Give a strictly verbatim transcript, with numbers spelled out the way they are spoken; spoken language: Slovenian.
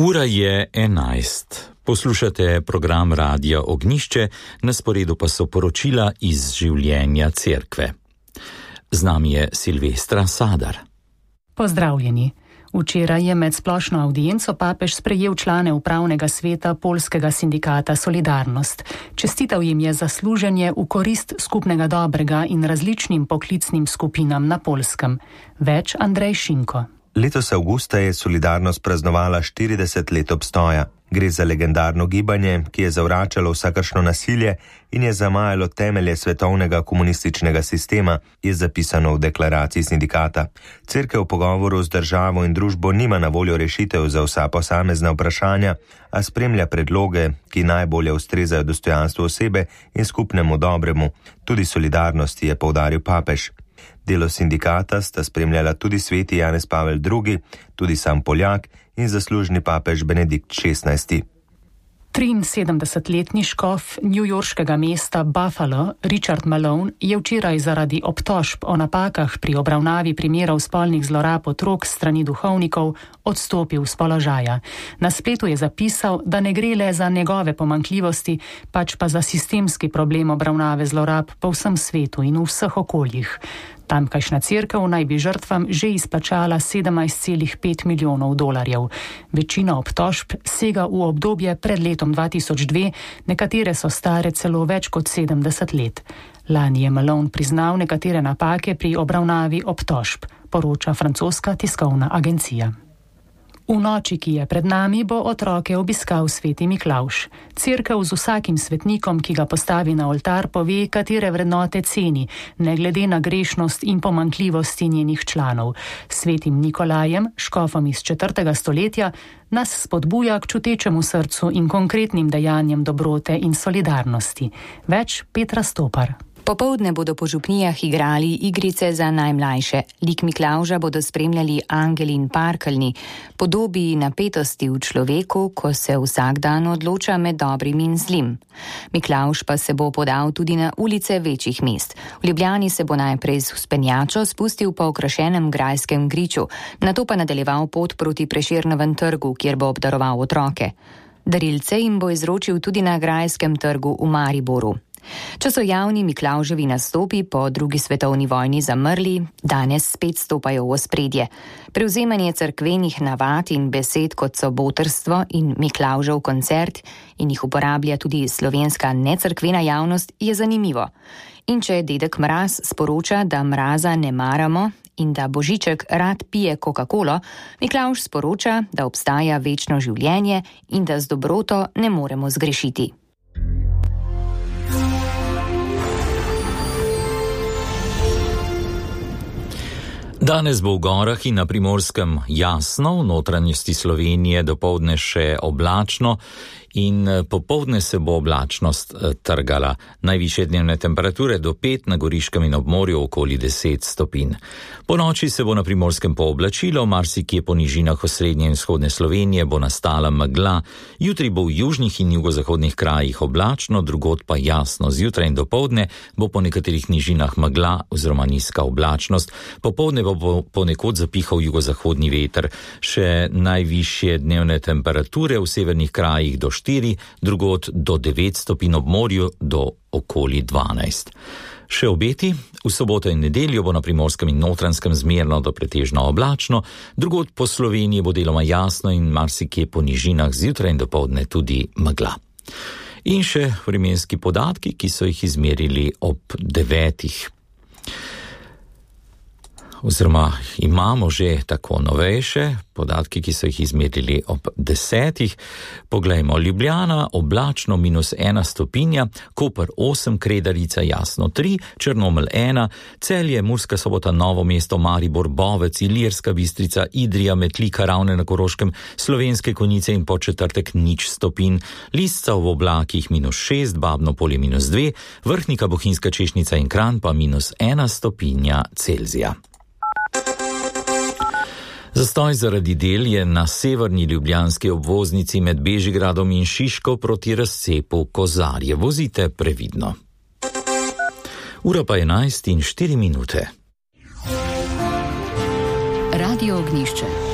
Ura je enajst. Poslušate program Radia Ognjišče, na sporedu pa so poročila iz življenja cerkve. Z nami je Silvestra Sadar. Pozdravljeni. Včeraj je med splošno avdienco papež sprejel člane upravnega sveta poljskega sindikata Solidarnost. Čestital jim je za služenje v korist skupnega dobrega in različnim poklicnim skupinam na Poljskem. Več Andrej Šinko. Letos avgusta je Solidarnost praznovala štirideset let obstoja. Gre za legendarno gibanje, ki je zavračalo vsakršno nasilje in je zamajalo temelje svetovnega komunističnega sistema, je zapisano v deklaraciji sindikata. Cerkev v pogovoru z državo in družbo nima na voljo rešitev za vsa posamezna vprašanja, a spremlja predloge, ki najbolje ustrezajo dostojanstvu osebe in skupnemu dobremu. Tudi solidarnosti, je poudaril papež. Delo sindikata sta spremljala tudi sveti Janez Pavel drugi, tudi sam Poljak in zaslužni papež Benedikt šestnajsti. triinsedemdesetletni škof newyorškega mesta Buffalo, Richard Malone, je včeraj zaradi obtožb o napakah pri obravnavi primerov spolnih zlorab otrok strani duhovnikov odstopil z položaja. Na spletu je zapisal, da ne gre le za njegove pomanjkljivosti, pač pa za sistemski problem obravnave zlorab po vsem svetu in v vseh okoljih. Tamkajšnja cerkev naj bi žrtvam že izplačala sedemnajst celih pet milijonov dolarjev. Večina obtožb sega v obdobje pred letom dva tisoč dve, nekatere so stare celo več kot sedemdeset let. Lani je Malone priznal nekatere napake pri obravnavi obtožb, poroča francoska tiskovna agencija. V noči, ki je pred nami, bo otroke obiskal sveti Miklavž. Cerkev z vsakim svetnikom, ki ga postavi na oltar, pove, katere vrednote ceni, ne glede na grešnost in pomanjkljivosti njenih članov. Svetim Nikolajem, škofom iz četrtega stoletja, nas spodbuja k čutečemu srcu in konkretnim dejanjem dobrote in solidarnosti. Več Petra Stopar. Popoldne bodo po župnijah igrali igrice za najmlajše. Lik Miklavža bodo spremljali angeli in parkeljni, podobi napetosti v človeku, ko se vsak dan odloča med dobrim in zlim. Miklavž pa se bo podal tudi na ulice večjih mest. V Ljubljani se bo najprej z vzpenjačo spustil po okrašenem grajskem griču, nato pa nadaljeval pot proti Prešernovem trgu, kjer bo obdaroval otroke. Darilce jim bo izročil tudi na Grajskem trgu v Mariboru. Če so javni Miklavževi nastopi po drugi svetovni vojni zamrli, danes spet stopajo v ospredje. Prevzemanje cerkvenih navad in besed, kot so botrstvo in Miklavžev koncert, in jih uporablja tudi slovenska necerkvena javnost, je zanimivo. In če dedek Mraz sporoča, da mraza ne maramo in da Božiček rad pije Coca-Colo, Miklavž sporoča, da obstaja večno življenje in da z dobroto ne moremo zgrešiti. Danes bo v gorah in na Primorskem jasno, v notranjosti Slovenije dopoldne še oblačno in popoldne se bo oblačnost trgala. Najvišje dnevne temperature do pet, na Goriškem in ob morju okoli deset stopinj. Po noči se bo na Primorskem pooblačilo, marsikje po nižinah osrednje in vzhodne Slovenije bo nastala megla. Jutri bo v južnih in jugozahodnih krajih oblačno, drugod pa jasno. Zjutraj in dopoldne bo po nekaterih nižinah megla oziroma nizka oblačnost. Popoldne bo ponekod zapihal jugozahodni veter. Še najvišje dnevne temperature v severnih krajih do štiri, drugod do devet stopinj, ob morju do okoli dvanajst. Še obeti, v soboto in nedeljo bo na Primorskem in Notranjskem zmerno do pretežno oblačno, drugod po Sloveniji bo deloma jasno in marsikje po nižinah zjutraj in dopoldne tudi megla. In še vremenski podatki, ki so jih izmerili ob devetih. Oziroma imamo že tako novejše podatki, ki so jih izmerili ob desetih. Poglejmo, Ljubljana oblačno minus ena stopinja, Koper osem, Kredarica jasno tri, Črnomelj ena, Celje, Murska Sobota, Novo mesto, Maribor, Bovec, Ilirska Bistrica, Idrija, Metlika, Ravne na Koroškem, Slovenske Konjice in Podčetrtek nič stopinj, Lisca v oblakih minus šest, Babno Polje minus dve, Vrhnika, Bohinjska Češnica in Kranj pa minus ena stopinja Celzija. Zastoj zaradi del je na severni ljubljanski obvoznici med Bežigradom in Šiško proti razcepu Kozarje. Vozite previdno. Ura pa enajst in štiri minute. Radio Ognjišče.